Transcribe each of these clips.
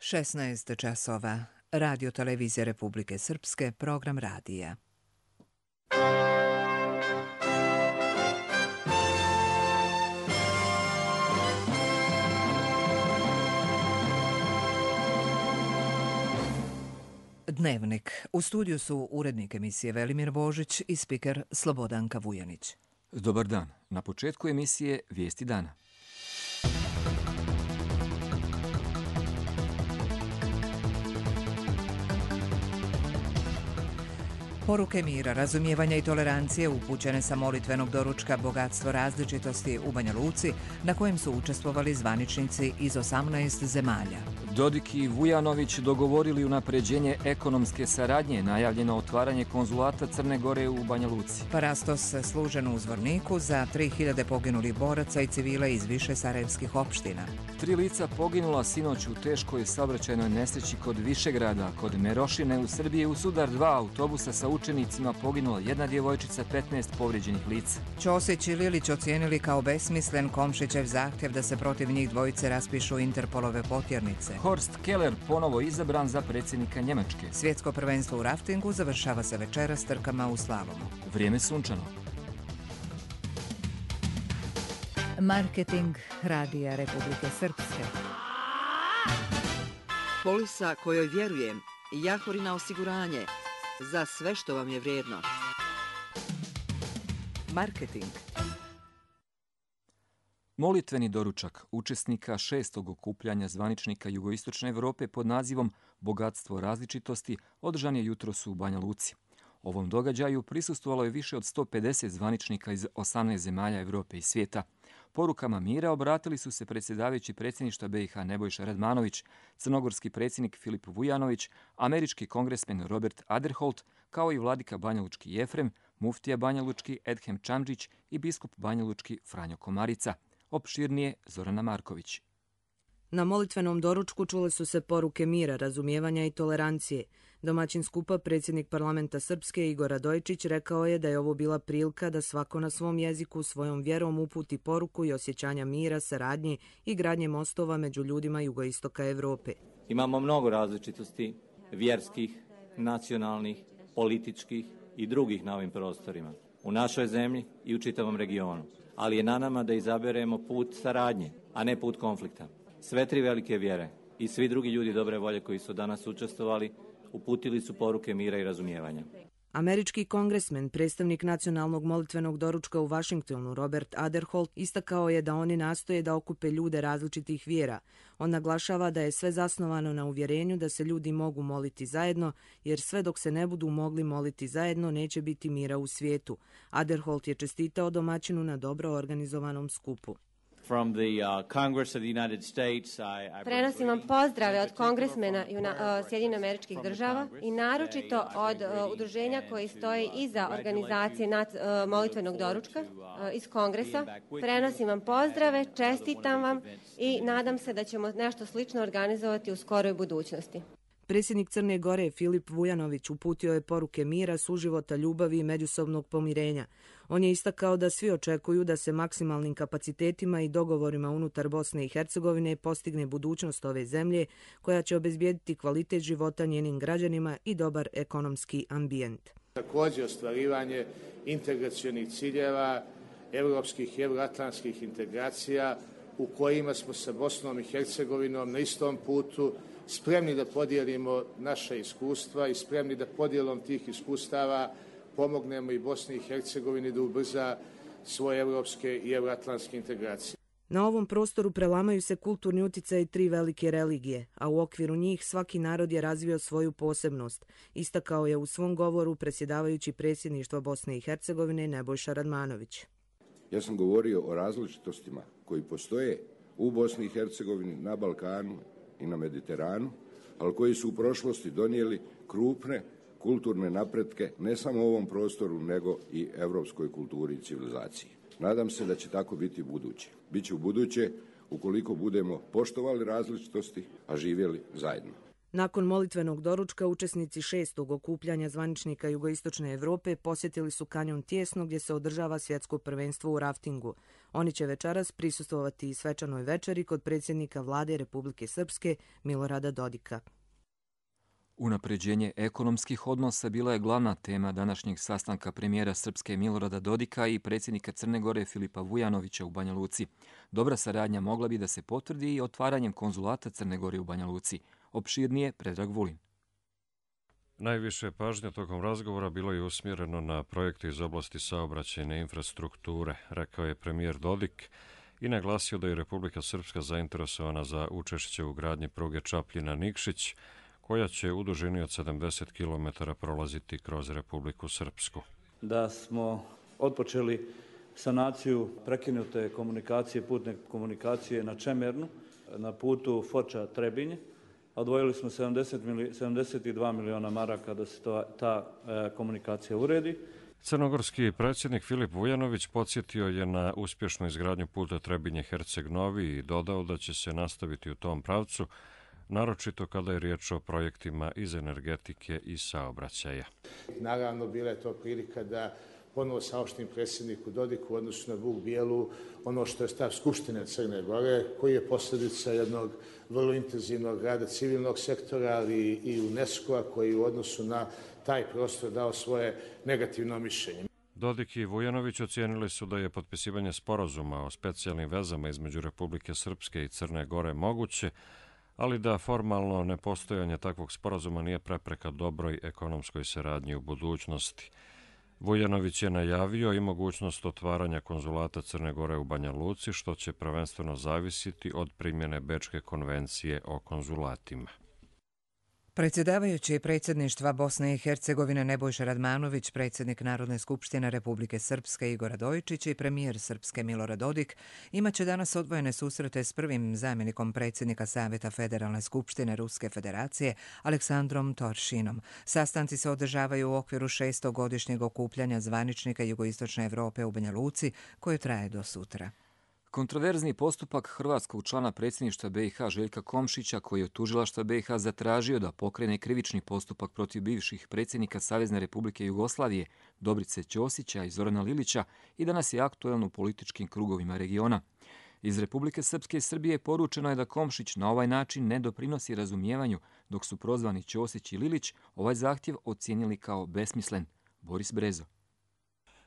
16 časova. Radio Televizije Republike Srpske, program radija. Dnevnik. U studiju su urednik emisije Velimir Božić i spiker Slobodanka Vujanić. Dobar dan. Na početku emisije Vijesti dana. Poruke mira, razumijevanja i tolerancije upućene sa molitvenog doručka Bogatstvo različitosti u Banja Luci, na kojem su učestvovali zvaničnici iz 18 zemalja. Dodik i Vujanović dogovorili unapređenje ekonomske saradnje, najavljeno otvaranje konzulata Crne Gore u Banja Luci. Parastos služen u Zvorniku za 3000 poginulih boraca i civila iz više sarajevskih opština. 3 lica poginula sinoć u teškoj saobraćajnoj nesreći kod Višegrada. Kod Merošine u Srbiji u sudar 2 autobusa sa učenicima poginula jedna djevojčica, 15 povrijeđenih lica. Ćosić i Lilić ocijenili kao besmislen Komšićev zahtjev da se protiv njih dvojice raspišu Interpolove potjernice. Horst Keller ponovo izabran za predsjednika Njemačke. Svjetsko prvenstvo u raftingu završava se večeras trkama u slalomu. Vrijeme sunčano. Marketing Radija Republike Srpske. Polisa kojoj vjerujem. Jahorina osiguranje. Za sve što vam je vrijedno. Marketing. Molitveni doručak učesnika 6. okupljanja zvaničnika Jugoistočne Europe pod nazivom Bogatstvo različitosti održan je jutros u Banja Luci. Ovom događaju prisustvovalo je više od 150 zvaničnika iz 18 zemalja Europe i svijeta. Porukama mira obratili su se predsjedavajući predsjedništva BiH Nebojša Radmanović, crnogorski predsjednik Filip Vujanović, američki kongresmen Robert Aderholt, kao i vladika banjalučki Jefrem, muftija banjalučki Edhem Čamdžić i biskup banjalučki Franjo Komarica. Opširnije Zorana Marković. Na molitvenom doručku čule su se poruke mira, razumijevanja i tolerancije. Domaćin skupa, predsjednik parlamenta Srpske Igor Radojičić, rekao je da je ovo bila prilika da svako na svom jeziku svojom vjerom uputi poruku i osjećanja mira, saradnje i gradnje mostova među ljudima jugoistoka Europe. Imamo mnogo različitosti vjerskih, nacionalnih, političkih i drugih na ovim prostorima, u našoj zemlji i u čitavom regionu. Ali je na nama da izaberemo put saradnje, a ne put konflikta. Sve 3 velike vjere i svi drugi ljudi dobre volje koji su danas učestvovali uputili su poruke mira i razumijevanja. Američki kongresmen, predstavnik nacionalnog molitvenog doručka u Vašingtonu, Robert Aderholt, istakao je da oni nastoje da okupe ljude različitih vjera. On naglašava da je sve zasnovano na uvjerenju da se ljudi mogu moliti zajedno, jer sve dok se ne budu mogli moliti zajedno neće biti mira u svijetu. Aderholt je čestitao domaćinu na dobro organizovanom skupu. Prenosim vam pozdrave od kongresmena Sjedinjenih Američkih Država i naročito od udruženja koji stoji iza organizacije molitvenog doručka iz Kongresa. Prenosim vam pozdrave, čestitam vam i nadam se da ćemo nešto slično organizovati u skoroj budućnosti. Predsjednik Crne Gore Filip Vujanović uputio je poruke mira, suživota, ljubavi i međusobnog pomirenja. On je istakao da svi očekuju da se maksimalnim kapacitetima i dogovorima unutar Bosne i Hercegovine postigne budućnost ove zemlje koja će obezbijediti kvalitet života njenim građanima i dobar ekonomski ambijent. Također ostvarivanje integracionih ciljeva, evropskih i euroatlantskih integracija u kojima smo sa Bosnom i Hercegovinom na istom putu, spremni da podijelimo naša iskustva i spremni da podjelom tih iskustava pomognemo i Bosni i Hercegovini da ubrza svoje evropske i euroatlantske integracije. Na ovom prostoru prelamaju se kulturni utjecaj 3 velike religije, a u okviru njih svaki narod je razvio svoju posebnost, istakao je u svom govoru predsjedavajući predsjedništva Bosne i Hercegovine Nebojša Radmanović. Ja sam govorio o različitostima koji postoje u Bosni i Hercegovini, na Balkanu i na Mediteranu, ali koji su u prošlosti donijeli krupne kulturne napretke ne samo u ovom prostoru, nego i evropskoj kulturi i civilizaciji. Nadam se da će tako biti u buduće. Biće u buduće ukoliko budemo poštovali različitosti, a živjeli zajedno. Nakon molitvenog doručka, učesnici 6. okupljanja zvaničnika Jugoistočne Evrope posjetili su kanjon Tijesno gdje se održava svjetsko prvenstvo u raftingu. Oni će večeras prisustvovati i svečanoj večeri kod predsjednika vlade Republike Srpske Milorada Dodika. Unapređenje ekonomskih odnosa bila je glavna tema današnjeg sastanka premijera Srpske Milorada Dodika i predsjednika Crne Gore Filipa Vujanovića u Banja Luci. Dobra saradnja mogla bi da se potvrdi i otvaranjem konzulata Crne Gore u Banja Luci. Opširnije Predrag Vulin. Najviše pažnje tokom razgovora bilo je usmjereno na projekte iz oblasti saobraćajne infrastrukture, rekao je premijer Dodik i naglasio da je Republika Srpska zainteresovana za učešće u gradnji pruge Čapljina-Nikšić, koja će u dužini od 70 km prolaziti kroz Republiku Srpsku. Da smo otpočeli sanaciju prekinute komunikacije, putne komunikacije na Čemernu, na putu Foča-Trebinje. Odvojili smo 72 miliona maraka da se ta komunikacija uredi. Crnogorski predsjednik Filip Vujanović podsjetio je na uspješnu izgradnju puta Trebinje-Herceg-Novi i dodao da će se nastaviti u tom pravcu, naročito kada je riječ o projektima iz energetike i saobraćaja. Naravno, bila je to prilika da ponovo saopštim predsjedniku Dodiku u odnosu na Vuk Bijelu ono što je stav Skupštine Crne Gore, koji je posljedica jednog vrlo intenzivnog rada civilnog sektora, ali i UNESCO-a koji u odnosu na taj prostor dao svoje negativno mišljenje. Dodik i Vujanović ocijenili su da je potpisivanje sporazuma o specijalnim vezama između Republike Srpske i Crne Gore moguće, ali da formalno nepostojanje takvog sporazuma nije prepreka dobroj ekonomskoj saradnji u budućnosti. Vujanović je najavio i mogućnost otvaranja konzulata Crne Gore u Banja Luci, što će prvenstveno zavisiti od primjene Bečke konvencije o konzulatima. Predsjedavajući predsjedništva Bosne i Hercegovine Nebojša Radmanović, predsjednik Narodne skupštine Republike Srpske Igor Radojičić i premijer Srpske Milorad Dodik imaće danas odvojene susrete s prvim zamjenikom predsjednika Savjeta Federalne skupštine Ruske federacije Aleksandrom Toršinom. Sastanci se održavaju u okviru 6. godišnjeg okupljanja zvaničnika Jugoistočne Evrope u Banja Luci, koje traje do sutra. Kontroverzni postupak hrvatskog člana predsjedništva BiH Željka Komšića, koji je od tužilaštva BiH zatražio da pokrene krivični postupak protiv bivših predsjednika Savezne Republike Jugoslavije Dobrice Ćosića i Zorana Lilića, i danas je aktuelno u političkim krugovima regiona. Iz Republike Srpske i Srbije poručeno je da Komšić na ovaj način ne doprinosi razumijevanju, dok su prozvani Ćosić i Lilić ovaj zahtjev ocijenili kao besmislen. Boris Brezo.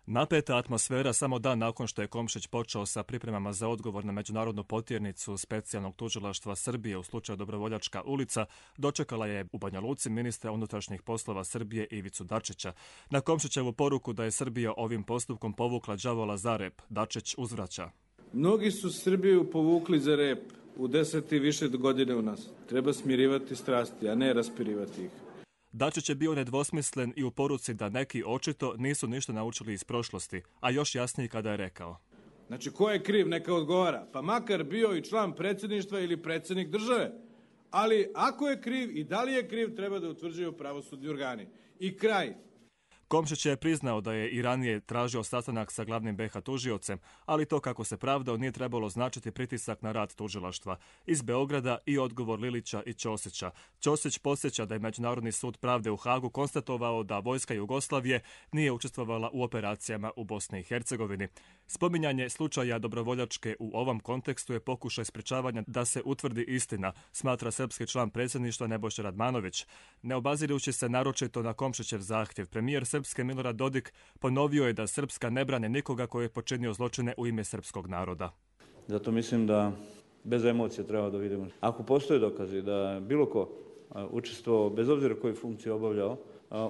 Napeta atmosfera samo dan nakon što je Komšić počeo sa pripremama za odgovor na međunarodnu potjernicu specijalnog tužilaštva Srbije u slučaju Dobrovoljačka ulica dočekala je u Banja Luci ministra unutrašnjih poslova Srbije Ivicu Dačića. Na Komšićevu poruku da je Srbija ovim postupkom povukla đavola za rep, Dačić uzvraća. Mnogi su Srbiju povukli za rep u 10 i više godine u nas. Treba smirivati strasti, a ne raspirivati ih. Dačić je bio nedvosmislen i u poruci da neki očito nisu ništa naučili iz prošlosti, a još jasniji kada je rekao. Znači, ko je kriv, neka odgovara, pa makar bio i član predsjedništva ili predsjednik države. Ali ako je kriv i da li je kriv, treba da utvrđuju pravosudni organi. I kraj. Komšić je priznao da je i ranije tražio sastanak sa glavnim BiH tužiocem, ali to, kako se pravdao, nije trebalo značiti pritisak na rad tužilaštva. Iz Beograda i odgovor Lilića i Ćosića. Ćosić podsjeća da je Međunarodni sud pravde u Hagu konstatovao da vojska Jugoslavije nije učestvovala u operacijama u Bosni i Hercegovini. Spominjanje slučaja Dobrovoljačke u ovom kontekstu je pokušaj sprečavanja da se utvrdi istina, smatra srpski član predsjedništva Nebojša Radmanović. Ne obazirujući se naročito na Komšićev zahtjev, premijer Srpske Milorad Dodik ponovio je da Srpska ne brane nikoga koji je počinio zločine u ime srpskog naroda. Zato mislim da bez emocija treba da vidimo. Ako postoje dokazi da bilo ko učestvovao, bez obzira koju funkciju obavljao,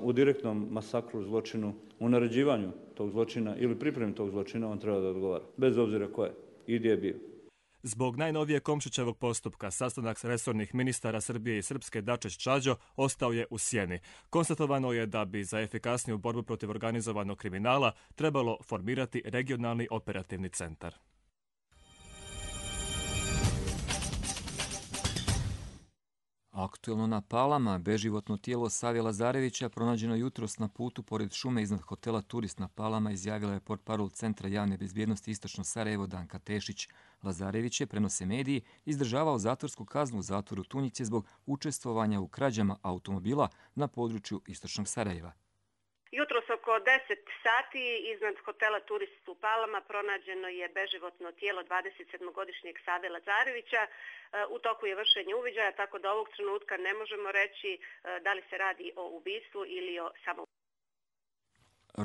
u direktnom masakru, zločinu, u naređivanju tog zločina ili pripremi tog zločina, on treba da odgovara. Bez obzira ko je i gdje je bio. Zbog najnovije Komšićevog postupka, sastanak resornih ministara Srbije i Srpske Dačić Čađo ostao je u sjeni. Konstatovano je da bi za efikasniju borbu protiv organizovanog kriminala trebalo formirati regionalni operativni centar. Aktuelno na Palama, beživotno tijelo Save Lazarevića pronađeno jutros na putu pored šume iznad hotela Turist na Palama, izjavila je portparol Centra javne bezbjednosti Istočno Sarajevo Danka Tešić. Lazarević je, prenose mediji, izdržavao zatvorsku kaznu u zatvoru Tunjice zbog učestvovanja u krađama automobila na području Istočnog Sarajeva. Jutros oko 10 sati iznad hotela Turist u Palama pronađeno je beživotno tijelo 27-godišnjeg Save Lazarevića. U toku je vršenje uviđaja, tako da ovog trenutka ne možemo reći da li se radi o ubistvu ili o samoubistvu.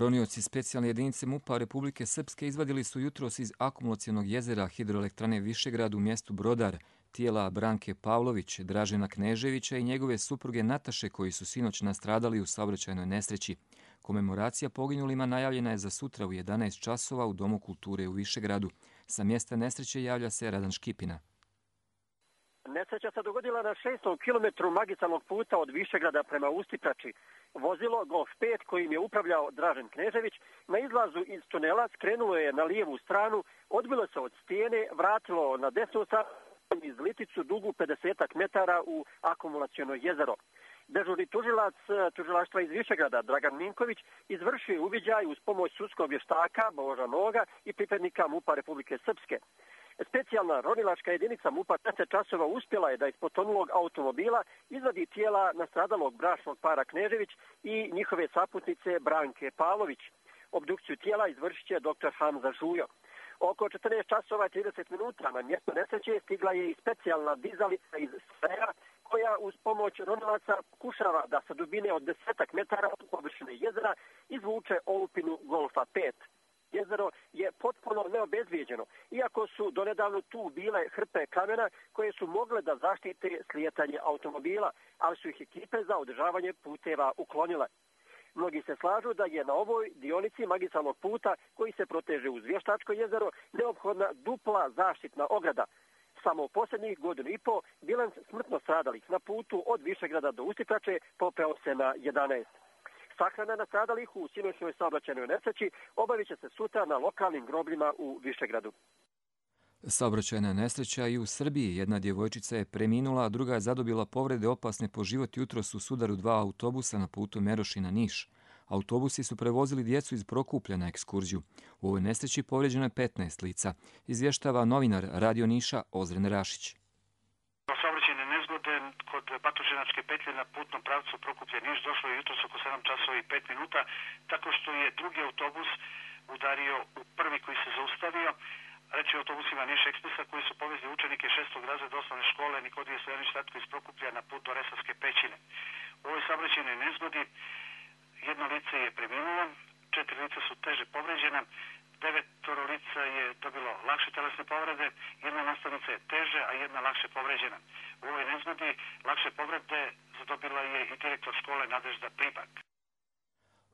Ronioci specijalne jedinice MUP-a Republike Srpske izvadili su jutros iz akumulacionog jezera hidroelektrane Višegrad u mjestu Brodar tijela Branke Pavlović, Dražena Kneževića i njegove supruge Nataše, koji su sinoć nastradali u saobraćajnoj nesreći. Komemoracija poginulima najavljena je za sutra u 11 časova u Domu kulture u Višegradu. Sa mjesta nesreće javlja se Radan Škipina. Nesreća se dogodila na 6. kilometru magistralnog puta od Višegrada prema Ustiprači. Vozilo Golf 5 kojim je upravljao Dražen Knežević na izlazu iz tunela skrenulo je na lijevu stranu, odbilo se od stijene, vratilo na desnu stranu iz liticu dugu 50 metara u akumulaciono jezero. Dežurni tužilac tužilaštva iz Višegrada Dragan Minković izvršio je uviđaj uz pomoć sudskog vještaka Boža Noga i pripadnika MUP-a Republike Srpske. Specijalna ronilačka jedinica MUP-a 10 časova uspjela je da iz potonulog automobila izvadi tijela nastradalog bračnog para Knežević i njihove saputnice Branke Pavlović. Obdukciju tijela izvršit će dr. Hamza Žujo. Oko 14 časova i 30 minuta na mjesto nesreće stigla je i specijalna dizalica iz Saraja koja uz pomoć ronilaca pokušava da sa dubine od 10 metara od površine jezera izvuče olupinu Golfa 5. Jezero je potpuno neobezvijeđeno, iako su donedavno tu bile hrpe kamena koje su mogle da zaštite slijetanje automobila, ali su ih ekipe za održavanje puteva uklonile. Mnogi se slažu da je na ovoj dionici magistralnog puta koji se proteže uz Vještačko jezero neophodna dupla zaštitna ograda. Samo u posljednjih godinu i po bilans smrtno stradalih na putu od Višegrada do Ustiprače popeo se na 11. Sahrana nastradalih u sinoćnoj saobraćajnoj nesreći obavit će se sutra na lokalnim grobljima u Višegradu. Saobraćajna nesreća i u Srbiji. Jedna djevojčica je preminula, a druga je zadobila povrede opasne po život jutros u sudaru dva autobusa na putu Merošina-Niš. Autobusi su prevozili djecu iz Prokuplja na ekskurziju. U ovoj nesreći povrijeđeno je 15 lica. Izvještava novinar Radio Niša Ozren Rašić. Saobraćajne nezgode kod Batočinačke petlje na putnom pravcu Prokuplje-Niš došlo je jutros oko 7 časova i 5 minuta, tako što je drugi autobus udario u prvi koji se zaustavio. Reći o autobusima Niš Ekspresa koji su povezli učenike 6. razreda osnovne škole Nikodije Stojanić Tatko iz Prokuplja na put do Resavske pećine. U ovoj saobraćajnoj nezgodi jedno lice je preminulo, 4 lica su teže povređena, 9 lica je dobilo lakše telesne povrede, jedna nastavnica je teže, a jedna lakše povređena. U ovoj nezgodi lakše povrede zadobila je i direktor škole Nadežda Pribak.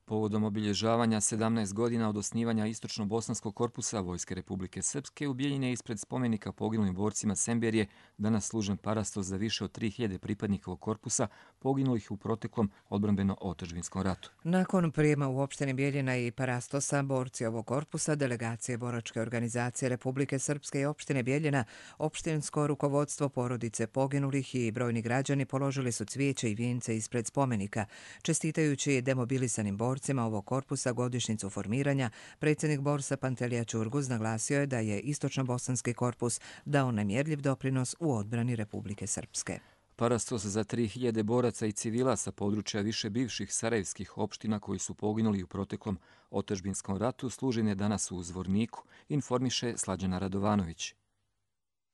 Povodom obilježavanja 17 godina od osnivanja Istočno-bosanskog korpusa Vojske Republike Srpske u Bijeljini ispred spomenika poginulim borcima Semberije danas služen parastos za više od 3000 pripadnika ovog korpusa poginulih u proteklom odbrambeno-otadžbinskom ratu. Nakon prijema u opštini Bijeljina i parastosa borci ovog korpusa, delegacije boračke organizacije Republike Srpske i opštine Bijeljina, opštinsko rukovodstvo porodice poginulih i brojni građani položili su cvijeće i vijence ispred spomenika, čestitajući demobilisanim borcima ovog korpusa godišnjicu formiranja. Predsjednik Borsa Pantelija Čurguz naglasio je da je Istočno-bosanski korpus dao nemjerljiv doprinos u odbrani Republike Srpske. Parastos za 3000 boraca i civila sa područja više bivših sarajevskih opština koji su poginuli u proteklom otadžbinskom ratu služen je danas u Zvorniku, informiše Slađana Radovanović.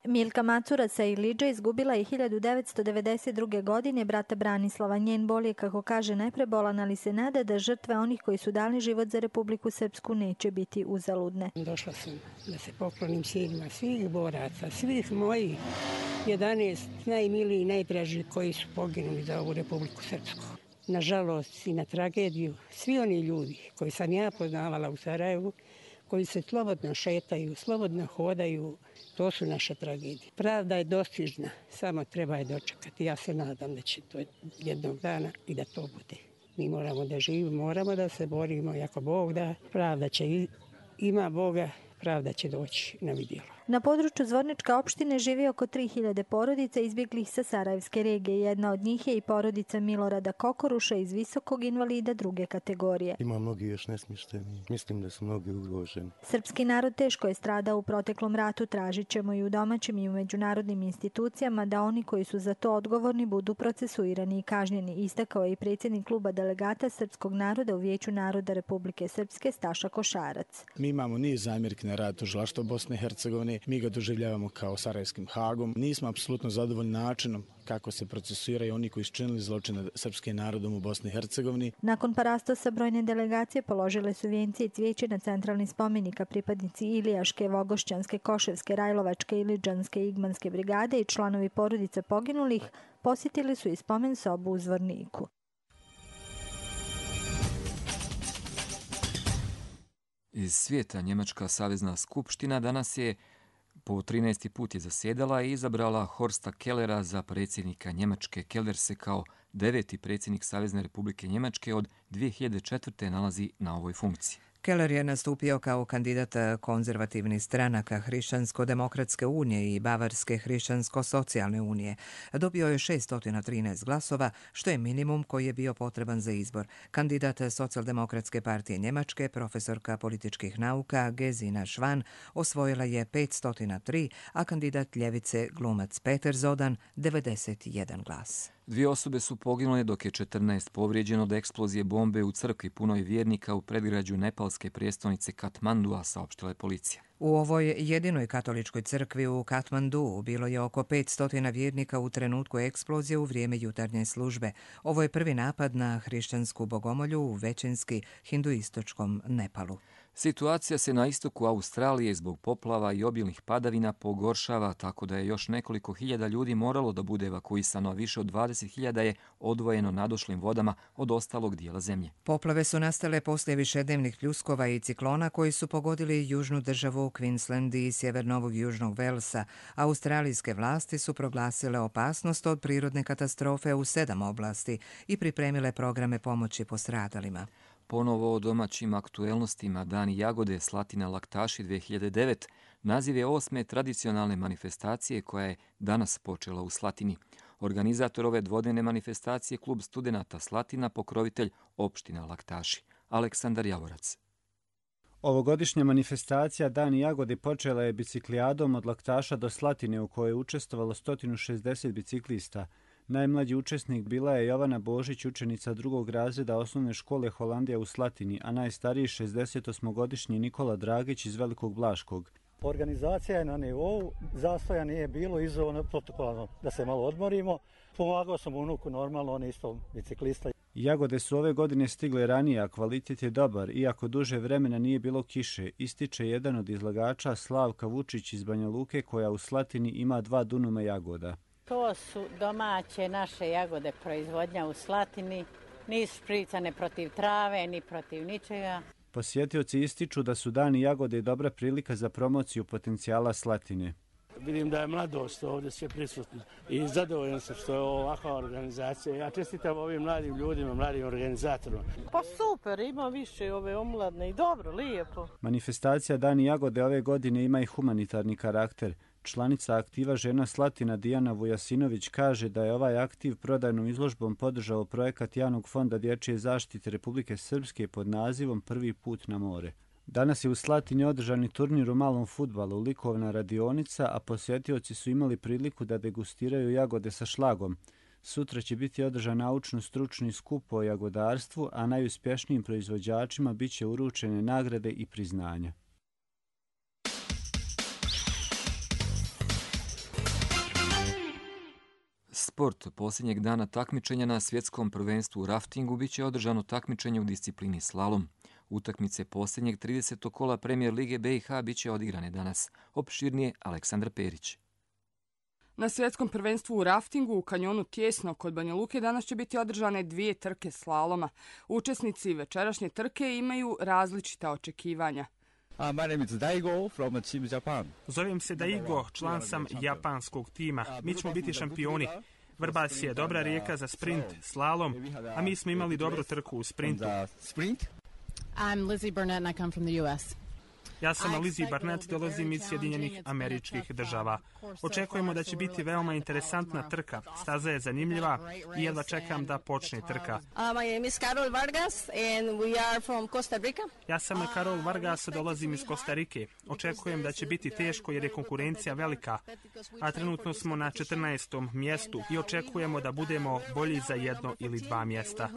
Milka Macura sa Iliđa izgubila je 1992. godine brata Branislava. Njen bol je, kako kaže, neprebolan, ali se nada da žrtve onih koji su dali život za Republiku Srpsku neće biti uzaludne. Došla sam da se poklonim sjedima svih boraca, svih mojih 11 najmilijih i najdražih koji su poginuli za ovu Republiku Srpsku. Nažalost i na tragediju, svi oni ljudi koji sam ja poznavala u Sarajevu, koji se slobodno šetaju, slobodno hodaju, to su naše tragedije. Pravda je dostižna, samo treba je dočekati. Ja se nadam da će to jednog dana i da to bude. Mi moramo da živimo, moramo da se borimo, ako Bog da, pravda će, ima Boga, pravda će doći na vidjelo. Na području Zvorničke opštine živi oko 3000 porodica izbjeglih sa Sarajevske regije. Jedna od njih je i porodica Milorada Kokoruša iz visokog invalida druge kategorije. Ima mnogi još nesmješteni. Mislim da su mnogi ugroženi. Srpski narod teško je stradao u proteklom ratu. Tražit ćemo i u domaćim i u međunarodnim institucijama da oni koji su za to odgovorni budu procesuirani i kažnjeni, istakao je i predsjednik kluba delegata srpskog naroda u Vijeću naroda Republike Srpske Staša Košarac. Mi imamo niz zamjerki na rad tužilaštva Bosne i Hercegovine. Mi ga doživljavamo kao Sarajevskim Hagom. Nismo apsolutno zadovoljni načinom kako se procesuiraju oni koji su činili zločine srpskim narodom u Bosni i Hercegovini. Nakon parastosa brojne delegacije položile su vijence i cvijeće na centralni spomenik, a pripadnici Ilijaške, Vogošćanske, Koševske, Rajlovačke, Iliđanske i Igmanske brigade i članovi porodice poginulih posjetili su i spomen sobu u Zvorniku. Iz svijeta Njemačka savezna skupština danas je po 13. put je zasjedala i izabrala Horsta Kellera za predsjednika Njemačke. Keller se kao 9. predsjednik Savezne Republike Njemačke od 2004. nalazi na ovoj funkciji. Keller je nastupio kao kandidat konzervativnih stranaka Hrišćansko-demokratske unije i Bavarske hrišćansko-socijalne unije. Dobio je 613 glasova, što je minimum koji je bio potreban za izbor. Kandidat Socijaldemokratske partije Njemačke, profesorka političkih nauka Gesine Schwan, osvojila je 503, a kandidat ljevice glumac Peter Zodan 91 glas. 2 osobe su poginule dok je 14 povrijeđeno od eksplozije bombe u crkvi punoj vjernika u predgrađu nepalske prijestolnice Katmandua, saopštila je policija. U ovoj jedinoj katoličkoj crkvi u Katmandu bilo je oko 500 vjernika u trenutku eksplozije u vrijeme jutarnje službe. Ovo je prvi napad na hrišćansku bogomolju u većinski hinduistočkom Nepalu. Situacija se na istoku Australije zbog poplava i obilnih padavina pogoršava, tako da je još nekoliko hiljada ljudi moralo da bude evakuisano, a više od 20.000 je odvojeno nadošlim vodama od ostalog dijela zemlje. Poplave su nastale poslije višednevnih pljuskova i ciklona koji su pogodili južnu državu Queensland i sjevernovog južnog Velsa. Australijske vlasti su proglasile opasnost od prirodne katastrofe u 7 oblasti i pripremile programe pomoći postradalima. Ponovo o domaćim aktuelnostima. Dani jagode Slatina Laktaši 2009 naziv je 8. tradicionalne manifestacije koja je danas počela u Slatini. Organizator ove dvodnevne manifestacije klub studenata Slatina, pokrovitelj opština Laktaši. Aleksandar Javorac. Ovogodišnja manifestacija Dani jagode počela je biciklijadom od Laktaša do Slatine u kojoj je učestvovalo 160 biciklista. Najmlađi učesnik bila je Jovana Božić, učenica 2. razreda osnovne škole Holandija u Slatini, a najstariji 68-godišnji Nikola Dragić iz Velikog Blaškog. Organizacija je na nivou, zastoja nije bilo, izazovno protokolarno da se malo odmorimo. Pomagao sam unuku, normalno, on je isto biciklista. Jagode su ove godine stigle ranije, a kvalitet je dobar, iako duže vremena nije bilo kiše, ističe jedan od izlagača Slavka Vučić iz Banja Luke, koja u Slatini ima 2 dunuma jagoda. To su domaće naše jagode proizvodnja u Slatini, nisu špricane protiv trave, ni protiv ničega. Posjetioci ističu da su Dani jagode dobra prilika za promociju potencijala Slatine. Vidim da je mladost ovdje sve prisutna i zadovoljan sam što je ovakva organizacija. Ja čestitam ovim mladim ljudima, mladim organizatorima. Pa super, ima više ove omladne i dobro, lijepo. Manifestacija Dani jagode ove godine ima i humanitarni karakter. Članica aktiva Žena Slatina Dijana Vujasinović kaže da je ovaj aktiv prodajnom izložbom podržao projekat Javnog fonda dječje zaštite Republike Srpske pod nazivom Prvi put na more. Danas je u Slatini održani turnir u malom fudbalu, likovna radionica, a posjetioci su imali priliku da degustiraju jagode sa šlagom. Sutra će biti održan naučno-stručni skup o jagodarstvu, a najuspješnijim proizvođačima bit će uručene nagrade i priznanja. Sport. Posljednjeg dana takmičenja na svjetskom prvenstvu u raftingu bit će održano takmičenje u disciplini slalom. Utakmice posljednjeg 30. kola Premijer Lige BiH bit će odigrane danas. Opširnije Aleksandar Perić. Na svjetskom prvenstvu u raftingu u kanjonu Tjesno kod Banja Luke danas će biti održane 2 trke slaloma. Učesnici večerašnje trke imaju različita očekivanja. Zovem se Daigo, član sam japanskog tima. Mi ćemo biti šampioni. Vrbas je dobra rijeka za sprint, slalom, a mi smo imali dobru trku u sprintu. I'm Lizzie Burnett and I come from the US. Ja sam Lizzie Barnett, dolazim iz Sjedinjenih Američkih Država. Očekujemo da će biti veoma interesantna trka. Staza je zanimljiva i jedva čekam da počne trka. Ja sam Karol Vargas, dolazim iz Kostarike. Očekujem da će biti teško jer je konkurencija velika, a trenutno smo na 14. mjestu i očekujemo da budemo bolji za 1 ili 2 mjesta.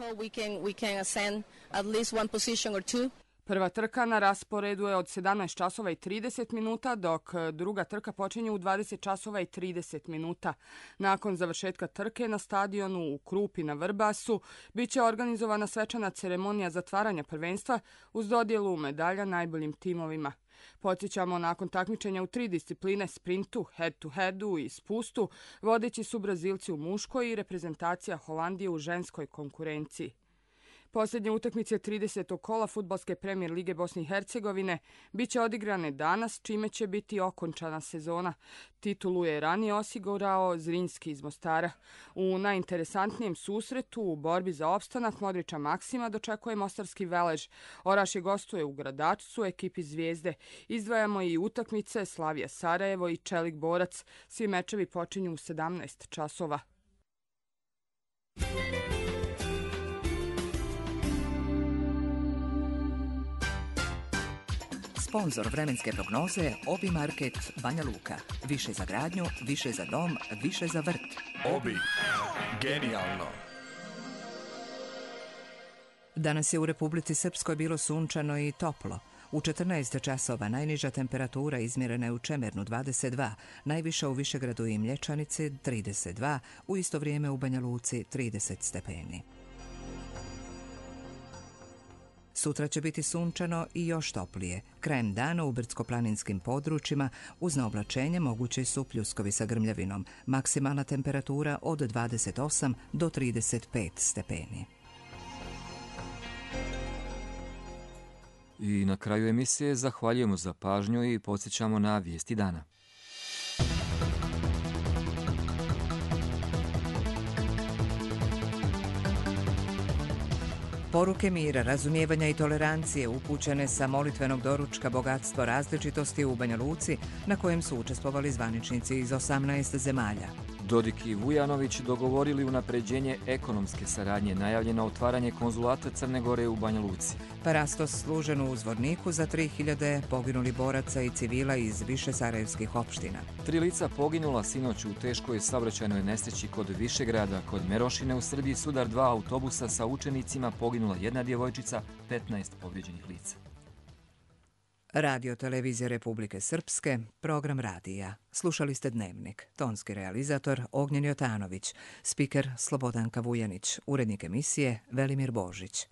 Prva trka na rasporedu je od 17 časova i 30 minuta, dok druga trka počinje u 20 časova i 30 minuta. Nakon završetka trke na stadionu u Krupi na Vrbasu biće organizovana svečana ceremonija zatvaranja prvenstva uz dodjelu medalja najboljim timovima. Podsjećamo, nakon takmičenja u 3 discipline, sprintu, head-to-headu i spustu, vodeći su Brazilci u muškoj i reprezentacija Holandije u ženskoj konkurenciji. Posljednje utakmice 30. kola Fudbalske premijer lige Bosne i Hercegovine biće odigrane danas, čime će biti okončana sezona. Titulu je ranije osigurao Zrinski iz Mostara. U najinteresantnijem susretu u borbi za opstanak Modrića Maksima dočekuje mostarski Velež. Orašje gostuje u Gradačcu ekipi Zvijezde. Izdvajamo i utakmice Slavija Sarajevo i Čelik Borac. Svi mečevi počinju u 17 časova. Sponzor vremenske prognoze Obi Market Banja Luka. Više za gradnju, više za dom, više za vrt. Obi. Genijalno. Danas je u Republici Srpskoj bilo sunčano i toplo. U 14 časova najniža temperatura izmjerena je u Čemernu 22, najviša u Višegradu i Mlječanici 32, u isto vrijeme u Banja Luci 30 stepeni. Sutra će biti sunčano i još toplije. Krajem dana u brdsko-planinskim područjima uz naoblačenje mogući su pljuskovi sa grmljavinom. Maksimalna temperatura od 28 do 35 stepeni. I na kraju emisije zahvaljujemo za pažnju i podsjećamo na vijesti dana. Poruke mira, razumijevanja i tolerancije upućene sa molitvenog doručka Bogatstvo različitosti u Banja Luci, na kojem su učestvovali zvaničnici iz 18 zemalja. Dodik i Vujanović dogovorili unapređenje ekonomske saradnje, najavljeno otvaranje konzulata Crne Gore u Banja Luci. Parastos služen u Zvorniku za 3000 poginuli boraca i civila iz više sarajevskih opština. 3 lica poginula sinoć u teškoj saobraćajnoj nesreći kod Višegrada. Kod Merošine u Srbiji sudar 2 autobusa sa učenicima, poginula 1 djevojčica, 15 povrijeđenih lica. Radio Televizija Republike Srpske, program radija. Slušali ste Dnevnik. Tonski realizator Ognjen Jotanović, spiker Slobodanka Vujanić, urednik emisije Velimir Božić.